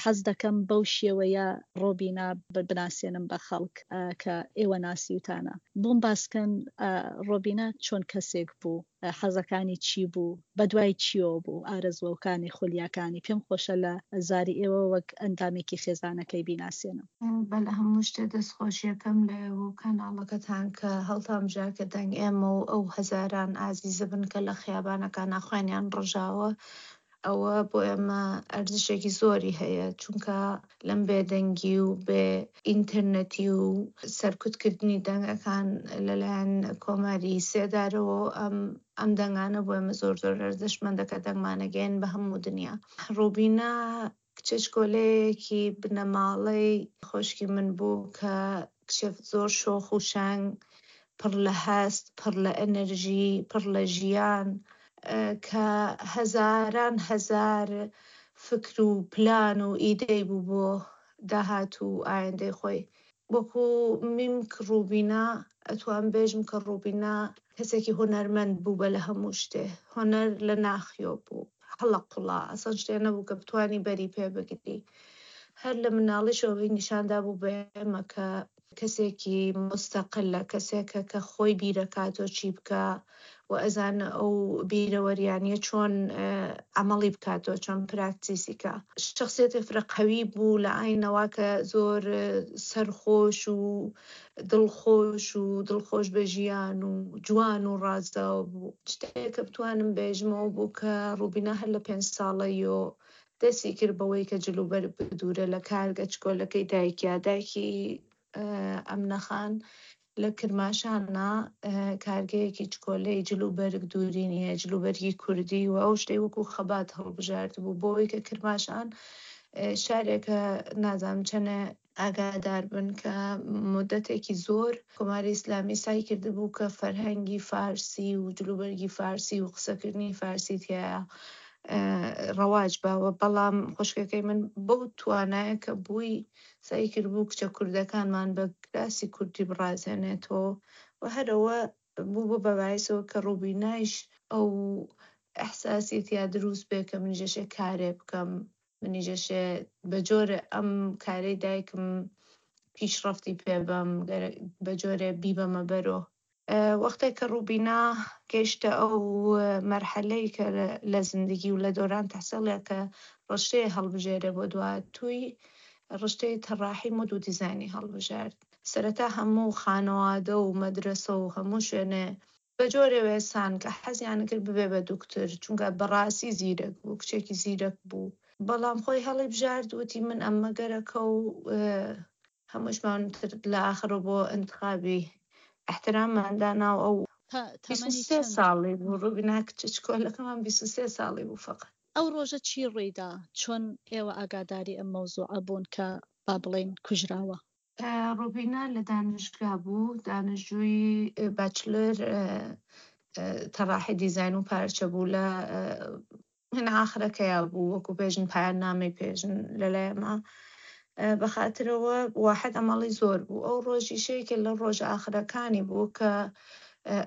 حەز دەکەم بەو شێوەیە ڕۆبینا بناسێنم بە خەڵک کە ئێوە ناسیوتانە. بۆم باسکەن ڕۆبینا چۆن کەسێک بوو؟ حەزەکانی چی بوو؟ بەدوای چیەوە بوو؟ ئارەزووەکانی، خولیاکانی؟ پێم خۆشە لە زاری ئێوە وەک ئەندامێکی خێزانەکەی بیناسێنم. بە لە هەموو شتێ دەست خۆشیەکەم لە ئێوە و کەناڵەکەتان کە هەڵتان بژارد کە دەنگ ئێمە و ئەو هەزاران ئازیزە بن کە لە خیابانەکانا خوێنیان ڕژاوە ئەوە بۆ ئێمە ئەرزشێکی زۆری هەیە چونکە لەم بێدەنگی و بێ ئینتەرنێتی و سەرکوتکردنی دەنگەکان لەلایەن کۆماری سێدارەوە ئەم ئەم دەنگانە بۆ ئێمە زۆر زۆر ئەرزشمەندە کە دەنگمانەگەیەن بە هەموو دنیا. ڕوبینا کچەچکۆلەیەکی بنەماڵەی خۆشکی من بوو کە کچێ زۆر شۆخ و شەنگ، پڕ لە هەست، پڕ لە ئەنرژی، پڕ لە ژیان، کە هەزاران هەزار فکر و پلان و ئیدەی بوو بۆ داهاتوو و ئایندەی خۆی. وەکو میمک ڕوبینا ئەتوام بێژم کە ڕوبینا کەسێکی هونەرمەند بوو بە لە هەموو شتێ هونەر لە ناخیۆ بوو هەڵەقوڵا ئەسڵەن شتێ نەبوو کە بتوانی بەری پێ بگری هەر لە مناڵیشەوە نیشان دابوو بە ئێمە کە کەسێکی مستەقلە کەسێکە کە خۆی بیرەکاتەوە چی بکا و ئەزانە ئەو بیرەوەریانە چۆن عەمەڵی بکاتەوە چۆن پراکتیسی کا. شەخسیەتێ فرە قەوی بوو لە ئاینەوە کە زۆر سەرخۆش و دڵخۆش و دڵخۆش بە ژیان و جوان و ڕازاوە بوو. شتێک کە بتوانم بێژمەوە بوو کە ڕوبینا هەر لە پێنج ساڵەیۆ دەستی کرد بەوەی کە جلوبەرگ بدوورە لە کارگە چکۆلەکەی دایکیا، دایکی ئەمنە خان لە کرماشانە کارگەیەکی چکۆلەی جل و بەرگ دوورینی هەیە، جل و بەرگی کوردی و ئەو شتەی وەکوو خەبات هەڵبژاردبوو بۆ ئەوەی کە کرماشان شارێکە نازانم چەنێ ئاگادار بن کە مودەتێکی زۆر کۆماری ئیسلامی سای کردبوو کە فەرهەنگی فارسی و جلوبەرگی فارسی و قسەکردنی فارسی تیایا ڕەواج باوە، بەڵام خوشکەکەی من بەو توانایە کە بووی سەعی کردبوو کچە کوردەکانمان بە کراسی کوردی بڕازێنێتەوە و هەر ئەوە بوو بوو بە بایسەوە کە ڕوبینایش ئەو ئیحساسی تیا دروست بێ کە منیش ئەشێ کارێ بکەم، منیش ئەشێ بە جۆرێ ئەم کارەی دایکم پیشڕەفتی پێ بەم، بە جۆرێ بیبەمە بەرۆ. وەختێک کە ڕوبینا گەیشتە ئەو مەرحەلەی کە لە زندگی و لە دۆران تەحسیڵیا کە ڕشتەیە هەڵبژێرێ بۆ دواهاتووی، ڕشتەی تەڕاحی مۆد و دیزاینی هەڵبژارد. سەرەتا هەموو خانەوادە و مەدرەسە و هەموو شوێنێ بە جۆرێ وێسان کە حەزیان کرد ببێ بە دوکتور، چونکە بەڕاستی زیرەک بوو، کچێکی زیرەک بوو. بەڵام خۆی هەڵیبژارد وتی من ئەمە گەرەکە و هەمووشمان تر لە ئاخرەوە بۆ ئینتخابی ئیحتراممان دانا و ئەو تەمەنی 23 چەند؟ ساڵی بوو ڕوبینا کچە چکۆلەکەمان 23 ساڵی بوو فەقەت. ئەو ڕۆژە چی ڕوویدا؟ چۆن ئێوە ئاگاداری ئەم مەوزوعە بوون کە با بڵێین کوژراوە؟ ڕوبینا لە دانشگا بوو، دانشجووی باچلۆر تەڕاحی دیزاین و پارچە بوو لە من ئاخرەکەیا بوو وەکو پێژن پایان نامەی پێژن لەلایەمە بەخاترەوە واحد ئەمەڵی زۆر بوو ئەو ڕۆژیشەیەکە لە ڕۆژ ئاخرەکانی بوو کە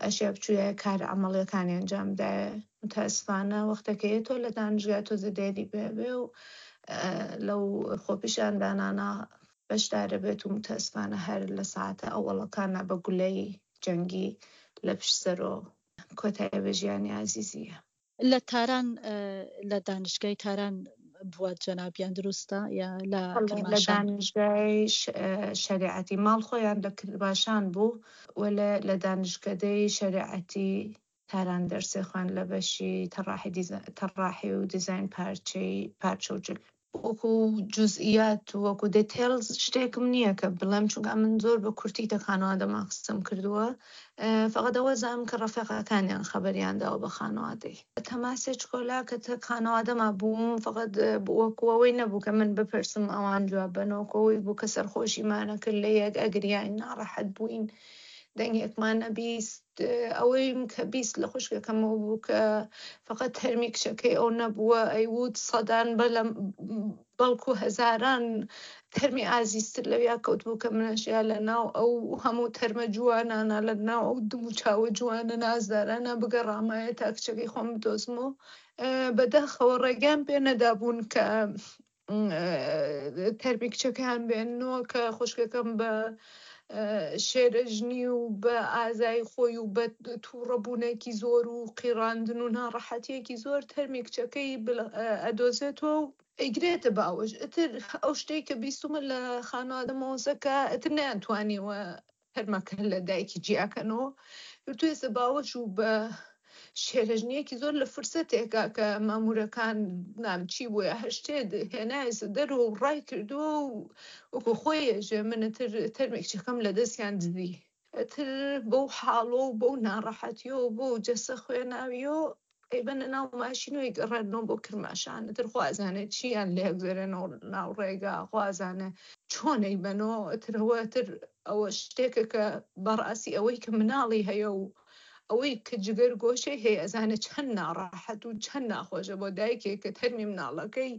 ئەشیا بچوویە کار عملیەکانی ئەنجام دایە متاسفانە وەختەکەی تۆ لە دانشگا تۆزە دێری بێ و لەو خۆپیشاندانانە بەشدارە بێت و متاسفانە هەر لە ساعتە ئەوەڵەکانە بە گولەی جەنگی لە پشت سەرۆ کۆتایی بە ژیانی ئازیزیە. لە تاران لە دانشگای تاران بووە جەنابیان دروستە یا لە بەڵێ لە کرماشان؟ دانشگای شەریعەتی ماڵ خۆیان لە کرماشان بوو و لە لە دانشکەدەی شەریعەتی تاران دەرسێ خوێند لە بەشی تەڕاحی دیزا تەڕاحی و دیزاین پارچەی پارچە و جل. وەکو جوزئیات و وەکو دێتێڵز شتێکم نییە کە بڵێم چونکە من زۆر بە کورتی تە خانەوادەمان قسەم کردووە فقط ئەوە زانم کە ڕەفیقەکانیان خەبەریان داوە بە خانەوادەی تەماسێ چکۆلا کە تە خانەوادەما بووم فقط وەکو ئەوەی نەبوو کە من بپرسم ئەوان جواب بەن وەکو ئەوەی بوو کە سەرخۆشیمانە کرد لە یەک ئەگریاین ناڕەحەت بووین دەنگێکمان ئەبیست ئەوەیم کە 20 لە خوشکەکەمەوە بوو کە فقط تەرمی کچەکەی ئەو نەبووە ئەیوت سەدان بەلەم بەڵکو هەزاران تەرمی ئازیزتر لەویا کەوت بوو کە منەشیا لە ناو ئەو هەموو تەرمە جوانانە لە ناو ئەو دم و چاوە جوانە نازدارانە بگەڕامایە تا کچەکەی خۆم بدۆزمەوە بەداخەوە ڕێگەیان پێ نەدابوون کە تەرمی کچەکەیان بێننەوە کە خوشکەکەم بە شێرەژنی و بە ئازای خۆی و بە تووڕەبوونێکی زۆر و قیڕاندن و ناڕەحەتیەکی زۆر تەرمی کچەکەی ئەدۆزێتەوە و ئەیگرێتە باوەش. ئیتر ئەو شتەی کە بیستومە لە خانەوادەمەوەسە کە ئیتر نەیانتوانیوە تەرمەکە لە دایکی جیاکەنەوە، گرتوویەسە باوەش و بە شێرەژنیەکی زۆر لە فرسەتێکا کە مامورەکان نام چی بووە هەر شتێ هێنایەسە دەرەوە و ڕای کردووە و وەکو خۆی ئێژێ من ئیتر تەرمی کچەکەم لە دەستیان دزی. ئیتر بەو حاڵۆ و بەو ناڕەحەتیەوە و بەو جەسە خوێناویەوە ئەیبەنە ناو ماشین و ئەیگەڕێننەوە بۆ کرماشان. ئیتر خوا ئەزانێ چییان لێ ئەگوزەرێنەوە ناو ڕێگا، خوا ئەزانێ چۆن ئەیبەنەوە. ئیتر ئەوە ئیتر ئەوە شتێکە کە بەڕاستی ئەوەی کە مناڵی هەیە و ئەوەی کە جگەر گۆشەی هەیە ئەزانێ چەند ناڕەحەت و چەند ناخۆشە بۆ دایکێک کە تەرمی مناڵەکەی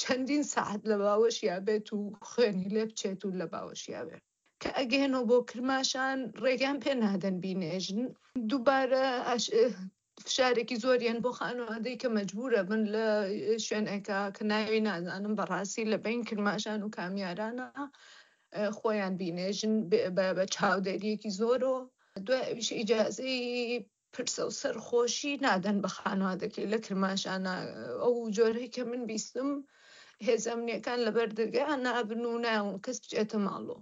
چەندین سەعات لە باوەشیا بێت و خوێنی لێ بچێت و لە باوەشیا بێت. کە ئەگەێنەوە بۆ کرماشان ڕێگەیان پێ نادەن بینێژن. دووبارە فشارێکی زۆریان بۆ خانەوادەی کە مەجبورە بن لە شوێنێکە کە ناوی نازانم بەڕاستی لە بین کرماشان و کامیارانە خۆیان بینێژن بە چاودێریەکی زۆرەوە. دوای ئەویش ئیجازەی پرسە و سەرخۆشی نادەن بە خانەوادەکەی لە کرماشانە. ئەو جۆرەی کە من بیستم هێزە ئەمنیەکان لەبەر دەرگا نابن و نایەڵن کەس بچێتە ماڵەوە.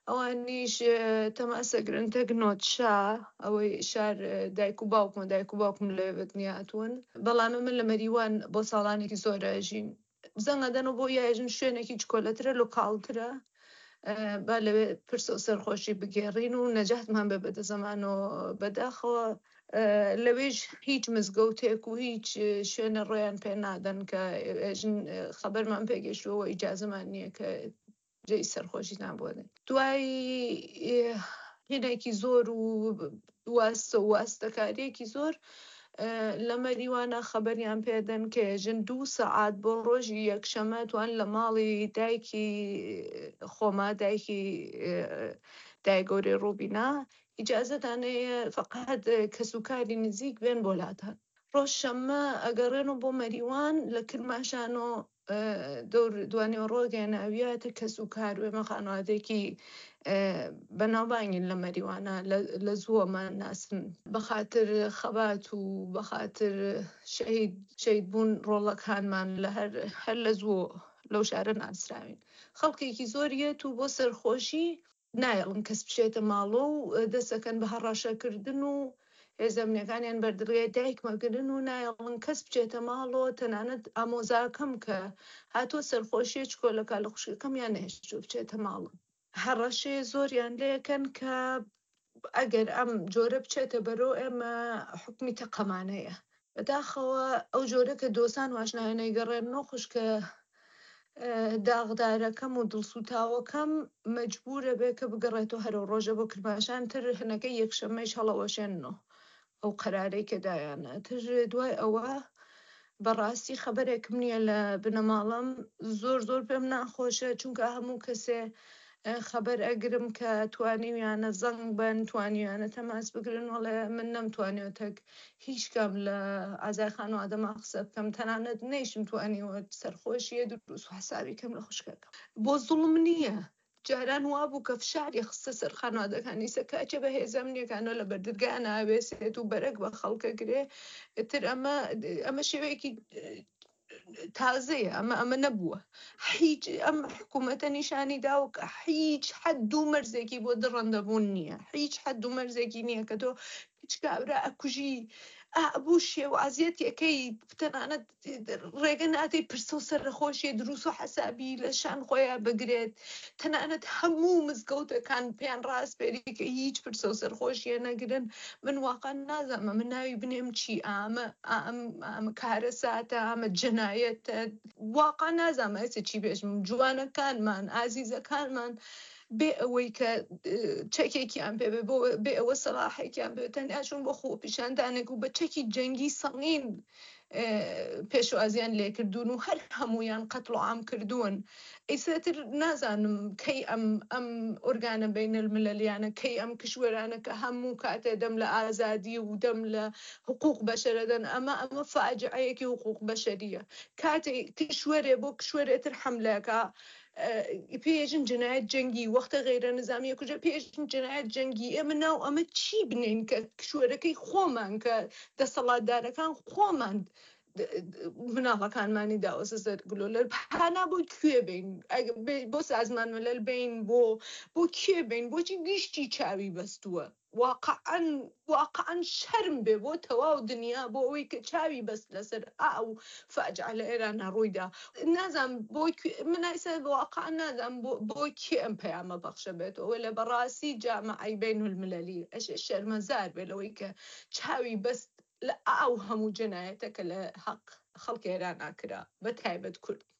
ئەوانیش تەماسەگرن تەک نۆتشا ئەوەی شار دایک و باوکمە، دایک و باوکم لەوێ بە دنیا هاتوون، بەڵام من لە مەریوان بۆ ساڵانێکی زۆر ئەژین. زەنگ ئەدەنەوە بۆ یاژن شوێنێکی چکۆلەترە، لۆکاڵترە، با لەوێ پرسە و سەرخۆشی بگێڕین و نەجاتمان بێ بەدە زەمانەوە. بەداخەوە لەوێش هیچ مزگەوتێک و هیچ شوێنە ڕێیان پێ نادەن کە ئێژن خەبەرمان پێگەشتووە ئیجازەمان نییە کە جێی سەرخۆشیتان بۆ دێن. دوای هینێکی زۆر و واستە و واستەکاریەکی زۆر لە مەریوانە خەبەریان پێدەن کە ژن دوو سەعات بۆ ڕۆژی یەکشەمە توان لە ماڵی دایکی خۆما دایکی دایگەورەی ڕوبینا ئیجازەتان هەیە فقط کەسوکاری نزیک بێن بۆ لاتان. ڕۆژ شەممە ئەگەڕێنەوە بۆ مەریوان لە کرماشانۆ دەور دوانیوەڕۆ گەیەناویاتە کەس و کار و ئێمە خانەوادەیەکی بەناوبانگین لە مەریوانە لە زووەمان ناسن بەخاتر خەبات و بەخاتر شەهید شەهید بوون ڕۆڵەکانمان لە هەر هەر لە زوو لەو شارە ناسراوین خەڵکێکی زۆر یەت و بۆ سەرخۆشی نایەڵن کەس بچێتە ماڵۆ و دەستەکەن بە هەڕەشەکردن و هێزە ئەمنیەکانیان بەردەرگای دایکم ئەگرن و نایەڵن کەس بچێتە ماڵۆ، تەنانەت ئامۆزاکەم کە هاتووە سەرخۆشیە چکۆلەکە لە خوشکەکەمیان نەهێشتووە بچێتە ماڵم. هەڕەشەیە زۆریان لێکەن کە ئەگەر ئەم جۆرە بچێتە بەرەو ئێمە حوکمی تەقەمانەیە. بەداخەوە ئەو جۆرە کە دۆسان واشنایە نەیگەڕێننەوە خوشکە داغدارەکەم و دڵسووتاوەکەم مەجبوورە بێ کە بگەڕێتەوە هەرەو ڕۆژە بۆ کرماشان تر هەنەکەی یەکشەممەیش هەڵەوەشێننەوە ئەو قەرارەی کە دایانە تر دوای ئەوە بەڕاستی خەبەرێکم نییە لە بنەماڵەم زۆر زۆر پێم ناخۆشە چونکە هەموو کەسێ خەبەر ئەگرم کە توانیویانە زەنگ بن توانیویانە تەماس بگرن وەڵێ من نەمتوانیوە تەک هیچ کام لە ئازای خانوادەما قسە بکەم تەنانەت نەیشم توانیوە سەرخۆشیە دروست و حسابی کەم لە خوشکەکەم بۆ زوڵم نییە جاران وابوو کە فشاری خستە سەر خانوادەکان ئیسە کاچە بە هێزە ئەمنیەکانەوە لە بەردەرگا ناوێسێت و بەرەک بە خەڵکە گرێ ئیتر ئەمە ئەمە شێوەیەکی تازەیە ئەمە ئەمە نەبووە هیچ ئەم حکوومەتە نیشانی داوە کە هیچ حەد و مەرزێکی بۆ دڕەندەبوون نییە هیچ حەد و مەرزێکی نییە کە تۆ هیچ کابرا ئەکوژی ئابوو شێوازیەتەکەی تەنانەت ڕێگە نادەی پرسە و سەرخۆشیە دروست و حەسابی لە شان خۆیان بگرێت تەنانەت هەموو مزگەوتەکان پێیان ڕاسپێری کە هیچ پرسە و سەرخۆشیە نەگرن من واقعا نازانم ئەمە ناوی بنێم چی ئامە ئەم ئەمە کارەساتە ئەمە جەنایەتە واقعا نازانم ئێستا چی بێژم جوانەکانمان ئازیزەکانمان بێ ئەوەی کە چەکێکیان پێ بێ بۆ بێ ئەوە سەلاحێکیان بێ تەنیا چوون بۆ خۆپیشاندانێک و بە چەکی جەنگی سەنگین. پێشوازیان لێکردوون و هەر هەموویان قەتڵ و عام کردوون. ئیساتر نازانم کەی ئەم ئەم ئۆرگانە بەینەلملەلیانە کەی ئەم کشوەرانە کە هەموو کاتێ دەم لە ئازادی و دەم لە حقوق بەشەرەدەن ئەمە ئەمە فاجعەیەکی حقوق بەشەریە کاتێ کشوەرێ بۆ کشوەرێ تر حەملەکە پێژن جنایەت جەنگی وەختە غەیرە نزامیە کوژە پێژن جنایەت جەنگی ئێمە ناو ئەمە چی بنین کە کشوەرەکەی خۆمان کە دەسەڵاتدارەکان خۆمان مناڵەکانمانی داوەسە سەر گلۆلەر هانا بۆ کوێ بین بۆ سازمان ملل بین بۆ بۆ کێ بین بۆچی گشتی چاوی بەستووە واقعا واقعا شەرم بێ بۆ تەواو دنیا بۆ ئەوەی کە چاوی بەست لەسەر ئەو فاجعە لە ئێرانە ڕوویدا نازانم بۆ من ئایسا واقعا نازانم بۆ بۆ کێ ئەم پەیامە بەخشە بێتەوە لە بەڕاستی جامعەی بین المللی ئەشێ شەرمەزار بێ لەوەی کە چاوی بەست لە ئەو هەموو جەنایەتە کە لە حەق خەڵکی ئێرانا کرا بە تایبەت کورد.